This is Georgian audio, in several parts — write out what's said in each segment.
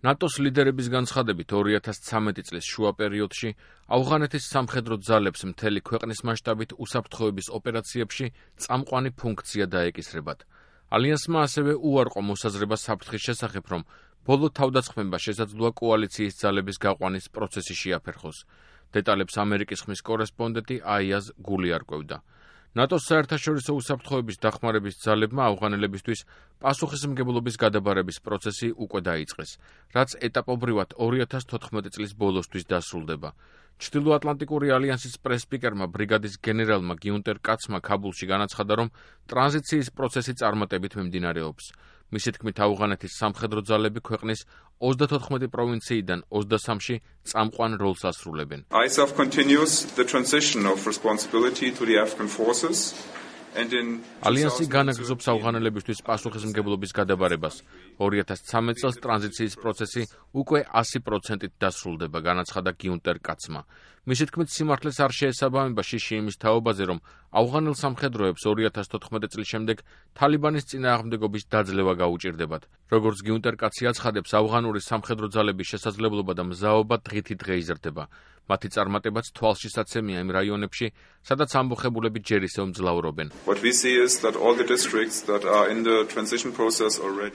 ნატოს ლიდერების განცხადებით 2013 წლის შუა პერიოდში ავღანეთის სამხედრო ძალებს მთელი ქვეყნის მასშტაბით უსაფრთხოების ოპერაციებში წამყვანი ფუნქცია დაეკისრებათ. ალიანსმა ასევე უარყო მოსაზრება საფრთხის შესახებ, რომ ბოლო თავდასხმება შესაძლოა კოალიციის ძალების გაყვანის პროცესი შეაფერხოს. დეტალებს ამერიკის ხმის კორესპონდენტი აიაზ გული არკვევდა. ნატოს საერთაშორისო უსაფრთხოების დახმარების ძალებმა ავღანელებისთვის პასუხისმგებლობის გადაბარების პროცესი უკვე დაიწყეს, რაც ეტაპობრივად 2014 წლის ბოლოსთვის დასრულდება. ჩრდილოატლანტიკური ალიანსის პრესსპიკერმა ბრიგადის გენერალმა გიუნტერ კაცმა ქაბულში განაცხადა, რომ ტრანზიციის პროცესი წარმატებით მიმდინარეობს. მისი თქმით, ავღანეთის სამხედრო ძალები ქვეყნის 34 პროვინციიდან 23-ში წამყვან როლს ასრულებენ. ISAF continues the transition of responsibility to the Afghan forces. ალიანსი განაგრძობს ავღანელებისთვის პასუხისმგებლობის გადაბარებას. 2013 წელს ტრანზიციის პროცესი უკვე 100%-ით დასრულდება, განაცხადა გიუნტერ კაცმა. მისი თქმით, სიმართლეს არ შეესაბამება შიში იმის თაობაზე, რომ ავღანელ სამხედროებს 2014 წლის შემდეგ თალიბანის წინააღმდეგობის დაძლევა გაუჭირდებათ. როგორც გიუნტერ კაცი აცხადებს, ავღანური სამხედრო ძალების შესაძლებლობა და მზაობა დღითიდღე იზრდება. მათი წარმატებაც თვალშისაცემია იმ რაიონებში, სადაც ამბოხებულები ჯერ ისევ მძლავრობენ.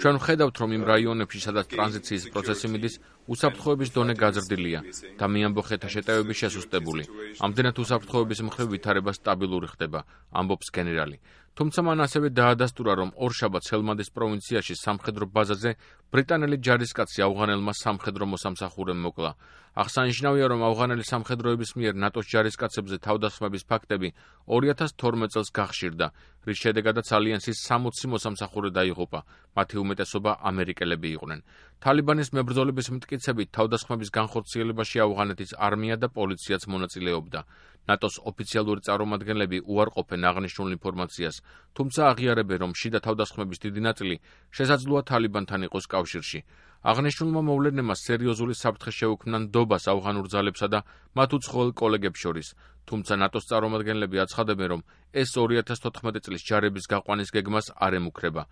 ჩვენ ვხედავთ, რომ იმ რაიონებში, სადაც ტრანზიციის პროცესი მიდის, უსაფრთხოების დონე გაზრდილია და მიამბოხეთა შეტევები შესუსტებული. ამდენად უსაფრთხოების მხრივ ვითარება სტაბილური ხდება, ამბობს გენერალი. თუმცა მან ასევე დაადასტურა, რომ ორშაბათს ჰელმანდის პროვინციაში სამხედრო ბაზაზე ბრიტანელი ჯარისკაცი ავღანელმა სამხედრო მოსამსახურემ მოკლა. აღსანიშნავია, რომ ავღანელი სამხედროების მიერ ნატოს ჯარისკაცებზე თავდასხმების ფაქტები 2012 წელს გახშირდა, რის შედეგადაც ალიანსის 60 მოსამსახურე დაიღუპა, მათი უმეტესობა ამერიკელები იყვნენ. თალიბანის მებრძოლების მტკიცებით თავდასხმების განხორციელებაში ავღანეთის არმია და პოლიციაც მონაწილეობდა. ნატოს ოფიციალური წარმომადგენლები უარყოფენ აღნიშნულ ინფორმაციას, თუმცა აღიარებენ, რომ შიდა თავდასხმების დიდი ნაწილი შესაძლოა თალიბანთან იყოს კავშირში. აღნიშნულმა მოვლენებმა სერიოზული საფრთხე შეუქმნა ნდობას ავღანურ ძალებსა და მათ უცხოელ კოლეგებს შორის, თუმცა ნატოს წარმომადგენლები აცხადებენ, რომ ეს 2014 წლის ჯარების გაყვანის გეგმას არ ემუქრება.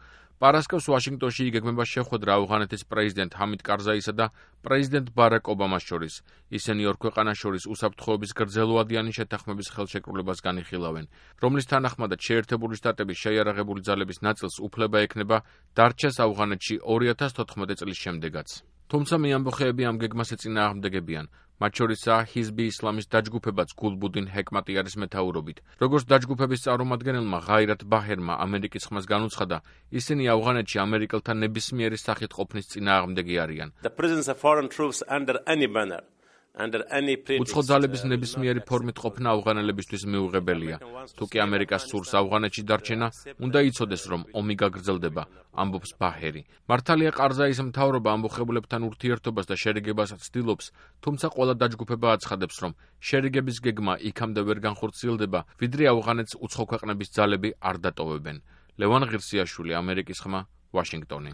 პარასკევს ვაშინგტონში იგეგმება შეხვედრა ავღანეთის პრეზიდენტ ჰამიდ კარზაისა და პრეზიდენტ ბარაკ ობამას შორის. ისინი ორ ქვეყანას შორის უსაფრთხოების გრძელვადიანი შეთანხმების ხელშეკრულებას განიხილავენ, რომლის თანახმადაც შეერთებული შტატების შეიარაღებული ძალების ნაწილს უფლება ექნება დარჩეს ავღანეთში 2014 წლის შემდეგაც. თუმცა მიამბოხეები ამ გეგმას ეწინააღმდეგებიან. მათ შორისაა ჰიზბი ისლამის დაჯგუფებაც გულბუდინ ჰეკმატიარის მეთაურობით. როგორც დაჯგუფების წარმომადგენელმა ღაირათ ბაჰერმა ამერიკის ხმას განუცხადა, ისინი ავღანეთში ამერიკელთა ნებისმიერი სახით ყოფნის წინააღმდეგი არიან. უცხო ძალების ნებისმიერი ფორმით ყოფნა ავღანელებისთვის მიუღებელია. თუკი ამერიკას სურს ავღანეთში დარჩენა, უნდა იცოდეს, რომ ომი გაგრძელდება, ამბობს ბაჰერი. მართალია ყარზაის მთავრობა ამბოხებულებთან ურთიერთობას და შერიგებას ცდილობს, თუმცა ყველა დაჯგუფება აცხადებს, რომ შერიგების გეგმა იქამდე ვერ განხორციელდება, ვიდრე ავღანეთს უცხო ქვეყნების ძალები არ დატოვებენ. ლევან ღირსიაშვილი, ამერიკის ხმა, ვაშინგტონი.